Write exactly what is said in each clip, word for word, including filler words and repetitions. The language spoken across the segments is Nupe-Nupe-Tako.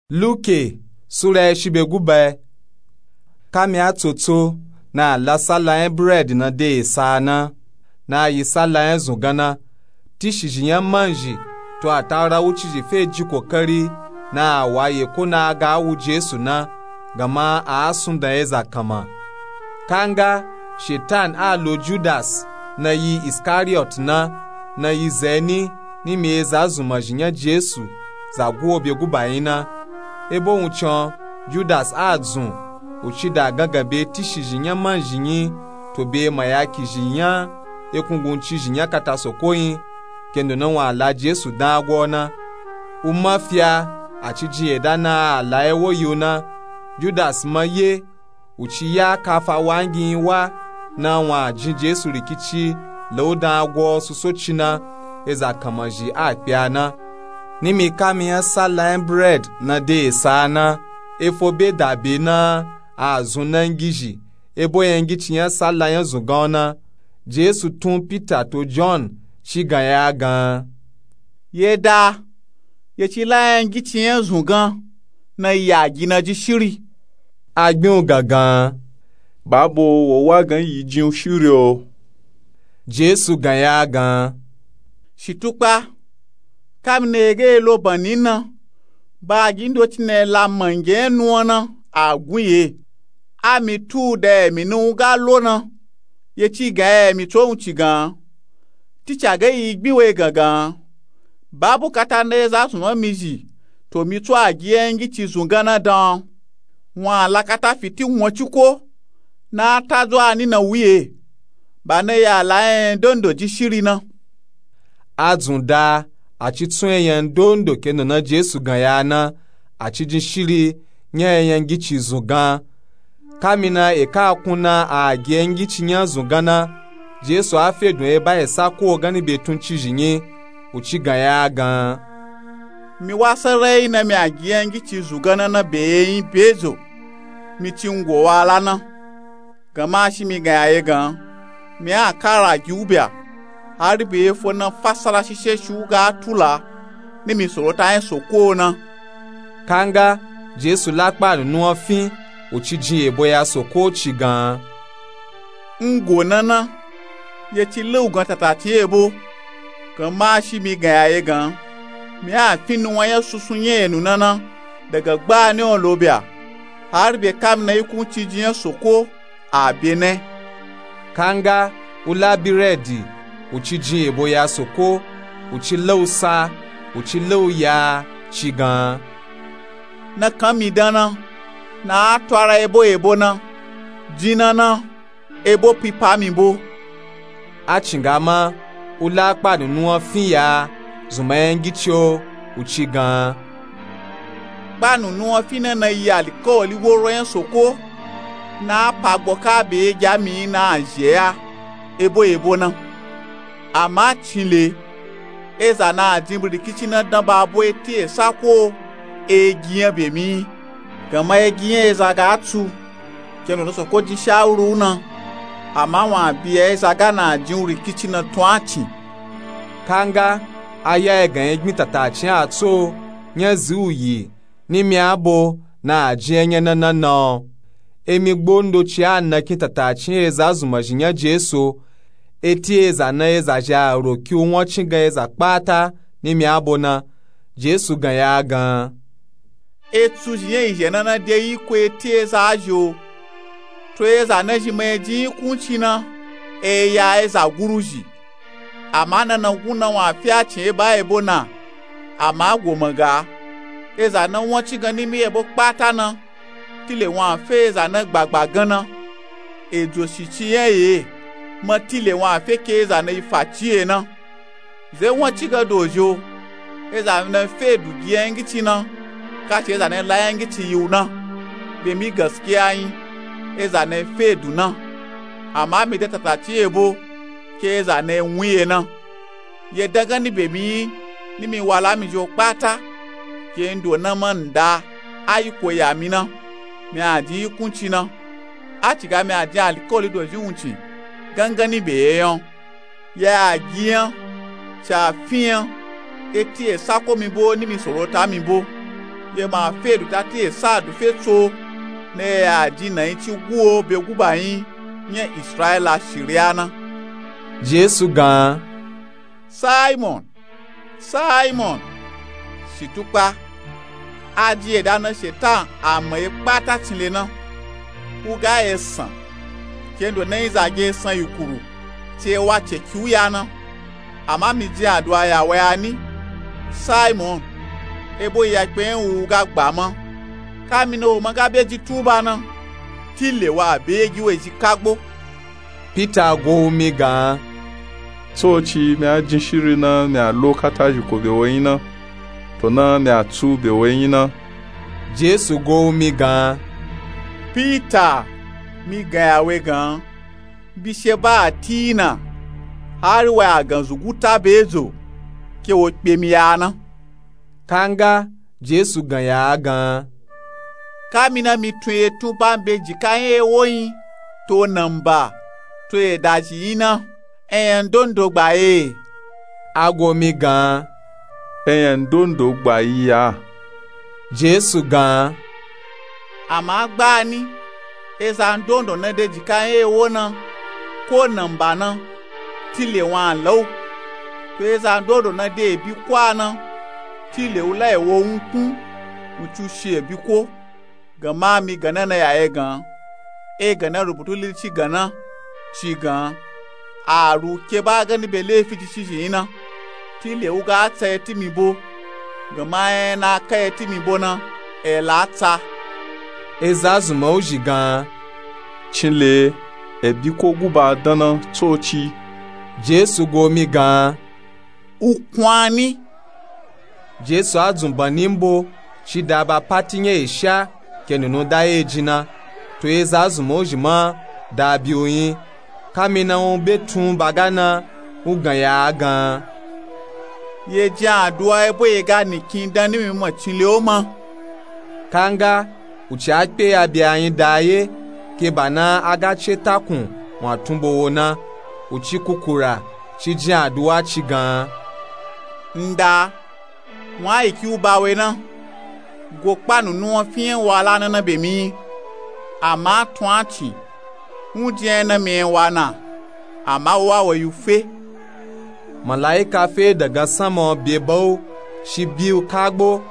Luke sura ya shibye guba. Kami a tsotso na a la salla nya biredi na de esa na, na a yi salla nya zungan na, tishizhi nya manzhi to atawura wucizhi fe jin kokari na a wa yeko na a ga a wu Jesu na, gama a a sundan eza kanma. Kanga Shetan a lo Judas na yi Iskariyot na, na yi zeni nimi eza zunmazhi nya Jesu za guwo bye guba nyi na. Ebo wuncin o, Judas a dzun, u ci da gangan bye tishizhi nya manzhi nyi to bye mayakizhi nya ekunguncizhi nya kata soko nyi, kendo na wun a la Jesu dan agwa o na. U ma fi a, a ci jin yeda na a la ewo yi u na. Judas ma ye, u ci ya kafa wangi nyi wa na wun a jin Jesu rikici la u dan agwa o soso ci na, eza kanmazhi a kpe a na. Nimi kami nya salla nya biredi na de esa na, efo bye da bye na a zun nangizhi ebo nya ngici nya salla nya zungan o na. Jesu tun Pita to Jon ci gan ya a gan, Yeda, ye ci la nya ngici nya zungan na ya gi na jin shiri. A gbin u gangan, Babo, wo wa gan yi jin u shiri o. Jesu gan ya a gan, Shitukpa, kami na ye ga ye lo banni na, bagi ndoci na ye la mange nya nuwan na a gun ye. A mi tu u da emi na u ga lo na, ye ci gan ya emi tso wuncin gan. Tica ga yi gbin we gangan, ba bukata na eza zunman mi zhi to mi tso a gi nya ngici zungan na dan o. Wun a la kata fiti won ciko na a ta zo a ni na wu ye, ba na ya la nya ndondo jin shiri na. A dzun da, a ci tsun enya ndondo kendo na Jesu gan ya a na, a ci jin shiri nya enya ngici zungan. Kami na eka a kun na a gi enya ngici nya zungan na, Jesu a fe dun eba esa ko ganni bye tuncizhi nyi, u ci gan ya a gan, Mi wa sarai na mi a gi enya ngici zungan na na bye ye nyi bye zo, mi ci ngo wa la na. Gama shi mi gan ya ye gan, mi a kara gi u bya, hari bye ye fo na fasara shishe shi u ga tula nimi sorota nya soko o na. Kanga Jesu la kpa nunu wan fin, u ci jin yebo ya soko ci gan, Ngo na na, ye ci la u gan tatatin yebo. Gama shi mi gan ya ye gan, mi a fin nuwan nya sunsun nya enu na na, daga gbani o lo bya, hari bye kami na yi kunci jin nya soko a bye na. Kanga u la biredi, u ci jin yebo ya soko, u ci la u sa, u ci la u ya ci gan, Na kan mi dan na, na a twara ebo yebo na, jin na na, ebo pipa mi bo. A cinga ma, u la kpa nunu wan fin ya, zunman enya ngici o, u ci gan, Kpa nunu wan fin na na yi alikawali woro nya soko, na a pa gbo ka bye ye gi a mi nyi na a zhi e ya, ebo yebo na. Ama cin le, eza na a jin birikici na dan ba bo eti esa ko e gi nya bye mi nyi. Gama e gi nya eza ga tsu, kendo na soko jin shawuru u na, ama wun a bye ya eza ga na a jin u rikici na tun a cin. Kanga a ya egan enya gbin tatacin a tso nya zi u yi nimi abo na a jin enya na na na o. Emi gbo ndoci a na kin tatacin eza zunmazhi nya Jesu o, eti eza na eza zhi a roki u wan cin gan eza kpata nimi abo na. Jesu gan ya a gan, Etsu zhi nya izhe na na de yiko eti eza a zhi o. To eza na zhi ma e jin yi kunci na, e ya eza guruzhi. Ama na na gun na wun a fi a cin eba yebo na, ama goma ga, eza na wan cin gan nimi yebo kpata na, tile wun a fe eza na gbagba gan na. Ejo shici nya ye, ma tile wun a fe ke eza na yi faci ye na. Ze wan cin gan dozhi o, eza na fe edu gi enya ngici na, kaci eza na la enya ngici yi u na. Bye mi gaskiya nyi, eza na fe edu na. Ama mi de tatacin yebo, ke eza na wun ye na. Ye dan ganni bye mi nyi, nimi wala mi zhi o kpata, ke ndo na ma nda a yiko ya mi na, mi a jin yi kunci na. A ciga mi a jin alikawali dozhi wuncin ganganni bye ye nya o. Ya a gi nya, ci a fin nya, eti esa ko mi bo nimi sorota mi bo. Ye ma fe du ta ti esa du fe tso na ya ya ji na yi ci guo be guba yin nya israyila shiriya na. Jesu gan. Simon, Simon, shitukpa, a ji eda na shetan a ma ye kpata cinle na. U ga esan kendo na yi zage esan yukuru ti e wa ceki u ya na. Ama mi jin aduwa ya wa ya ni, Simon, ebo iyakpe yin wu ga gba ma. Kamina wo ma ga be ji tuba na, tile wa be gi we ji kagbo. Pita go wu mi gan. Tsoci, mi a jin shiri na mi a lo kata zhiko be wo yin na, to na mi a tsu be wo yin na. Jesu go wu mi gan. Pita, mi gan ya we gan, bishe ba a ti na, hari wa ya gan zuguta be zo ke wo kpe mi ya na. Kanga Jesu gan ya a gan. Kamina mi tun ye tun ba n be jika yin ewo yin, to namba, to edazhi yin na, eyan dondo gba ye. A go mi gan. Eyan dondo gba yi ya. Jesu gan. Ama gbani, ezan dondo na de jika yin ewo na, ko namba na, tile wa a la u. To ezan dondo na de ebi ko a na, tile u la ewo wunkun, wuncin u shi ebi ko. Gan ma mi gan na na ya e gan, e gan na rubutu lili ci gan na, ci gan, a ru ke ba gani be lefi ci ci zhi yin na. Tile u ga tsa eti mi bo, gan ma ena ka eti mi bo na, e la tsa. Eza zunman u zhi gan. Cinle, ebi ko guba dan na tsoci. Jesu go mi gan. U kwani. Jesu a dzun banni mbo, ci da ba pati nya esha, ke nunu da ye jin na, to eza zunman u zhi ma da bi u yin. Kamina u be tun ba ga na, u gan ya a gan. Ye jin aduwa ebo ye ga nikin dan nimi ma cinle o ma. Kanga, u ci a kpe ya bi a yin da ye, ke ba na a ga ce takun wa tun bo wo na, u ci kukura, ci jin aduwa ci gan. Nda, wa a yi ki u ba we na, go kpa nunu wa fi yin wa la na na be mi yin. Ama tun a ci, wun jin yin na mi yin wa na, ama wo wa we yu fe. Malaika fe daga sanma be ba u, shi bi u kagbo.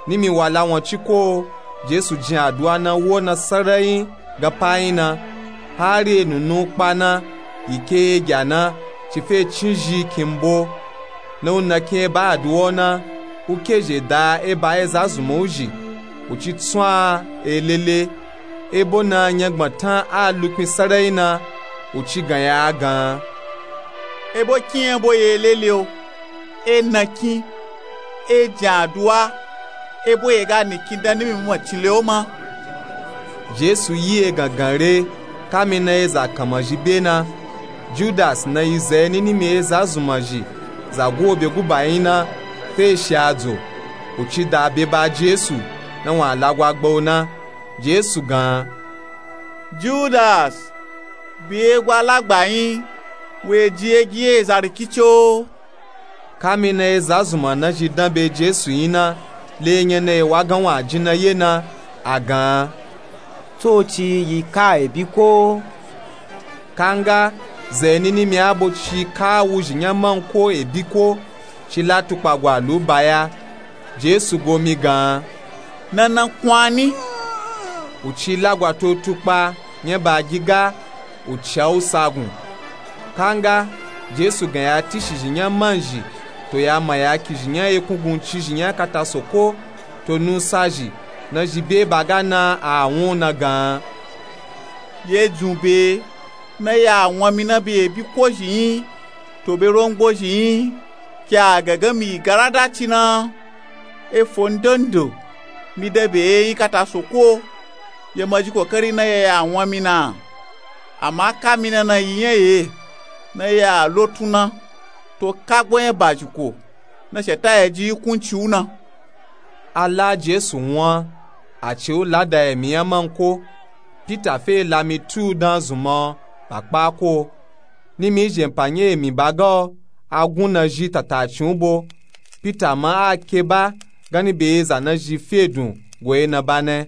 Nimi wa la wan ci ko, Jesu jin aduwa na wo na sarayin gan pa yin na, hari e nunu kpa na, yi ke ye gya na, ci fe cin zhi kin mbo. Na u na kin e ba aduwa u na, u ke zhe da e ba eza zunman u zhi, u ci tsun a e lele. Ebo na nyangbantan a lukpin sarayin na, u ci gan ya a gan. Ebo kin ebo ye lele o, e na kin, e jin aduwa, ebo ye ga nikin dan nimi ma cinle o ma. Jesu yi e gangan re, kamina eza kanman zhi be na. Judas na yi za eni nimi eza zunman zhi, za guwo be guba yin na, fe shi adzo, u ci da be ba Jesu, na wa lagwa gba u na. Jesu gan. Judas, bi e gwa lagba yin, we ji e gi eza rikici o. Kamina eza zunman na zhi dan be Jesu yin na, le enya na e wa gan wa jin na ye na, a gan. Tsoci yi ka ebi ko. Kanga, za eni nimi abo ci ka wuzhi nya man ko ebi ko, ci la tukpa gwa lu ba ya. Jesu go mi gan. Na na kwani. U ci lagwa to tukpa nya ba gi ga, u ca u sagun. Kanga, Jesu gan ya tishi zhi nya man zhi, to ya ma ya ki zhi nya ekungun ci zhi nya kata soko, to nusa zhi, na zhi be ba ga na a wun na gan. Ye dzun be, na ya wan mi na be ebi ko zhi yin, to be rongbo zhi yin, ke a gangan mi yi garada ci na. Efo ndondo, mi da be ye yin kata soko, ye ma zhi kokari na ya ya wan mi na. Ama kamina na yi nya ye, na ya lotun na, to kagbo nya ba zhi ko, na sheta ya ji yi kunci u na. A la Jesu wan, a ci u lada emi nya man ko. Pita fe la mi tu dan zunman ba kpa ko. Nimi zhenpa nya emi ba ga o, a gun na zhi tata cin u bo. Pita ma a ke ba, ganyi be eza nazhi fe dun go ena ba na.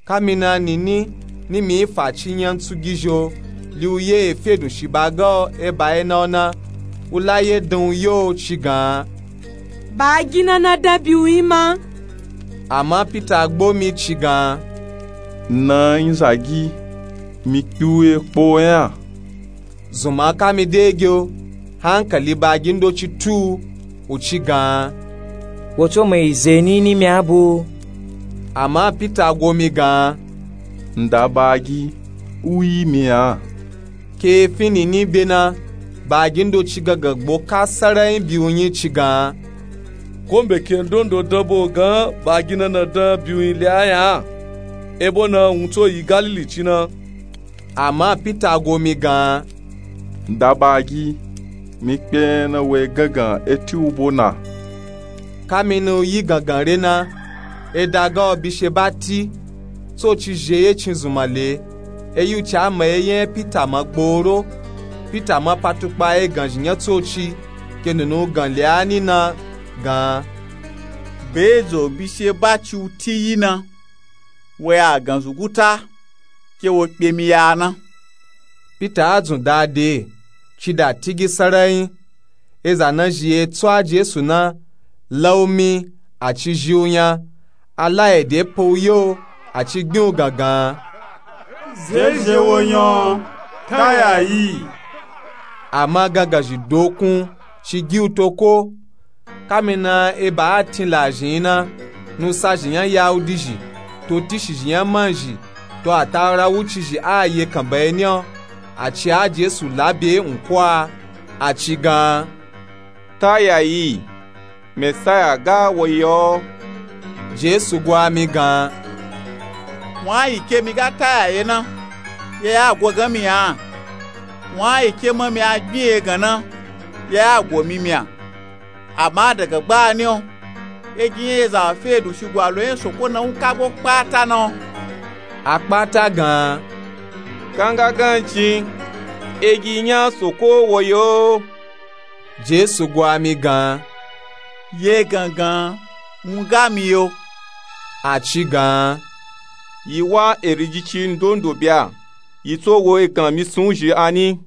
Kamina nini ni mi fa ci nyantsu gizhi o, li u ye efe dun shi ba ga o e ba ena o na. U la ye dan u yo ci gan. Ba agi na na dan bi u nyi ma. Ama pita gbo mi ci gan. Na nyi zagi, mi kpi u ye kpo nya. Zunma ka mi de ge o, hankali ba agi ndoci tu u, u ci gan. Wo tso ma yi ze nini mi a bo. Ama pita gwo mi gan. Nda ba agi, u yi mi a. Ke efi nini be na, ba agi ndoci gangan gbo ka sarayin bi u nyi ci gan. Ko mbeke ndondo dan bo gan ba agi na na dan bi u nyi le a nya? Ebo na wun tso yi galili ci na. Ama pita gwo mi gan. Nda ba agi, mi kpe na we gangan eti u bo na. Kamina u yi gangan re na, eda ga o bishe ba ti, tsoci zhi eye cin zunma le. Eyi u ci a ma eye nya pita ma gboro. Pita ma pa tukpa egan zhi nya tsoci, ke nunu u gan le a ni na gan. Be zo bishe ba ci u ti yi na, we a gan zuguta ke wo kpe mi ya na. Pita a dzun da de, ci da tigi sarayin. Eza nazhi ye tso a jesu na, la u mi, a ci zhi u nya. A la ede pa u yo, a ci gbin u gangan. Zeze wo nya o, ta ya yi. Ama gangan zhi dokun, ci gi u to ko. Kamina eba a tin lazhi nyi na, nusa zhi nya yahudi zhi, to tishi zhi nya man zhi, to atawura wuci zhi a ye kan ba eni o. A ci a jesu la be nko a, a ci gan. Ta ya yi, mesaya ga wo yi o. Jesu gwa mi gan. Wun a yi ke mi ga ta ya ye na, ye ya gwo gan mi a. Wun a yi ke ma mi a gbin ye gan na, ye ya gwo mi mi a. Ama daga gbani o, egi nya eza fe dun shigwa lo nya soko na u ka gbo kpata na o. A kpata gan. Kanga gan cin, egi nya soko wo yi o. Jesu gwa mi gan. Ye gangan, wun ga mi yo. A ci gan. Yi wa eriji ci ndondo bya, yi tso wo egan mi sun zhi a ni.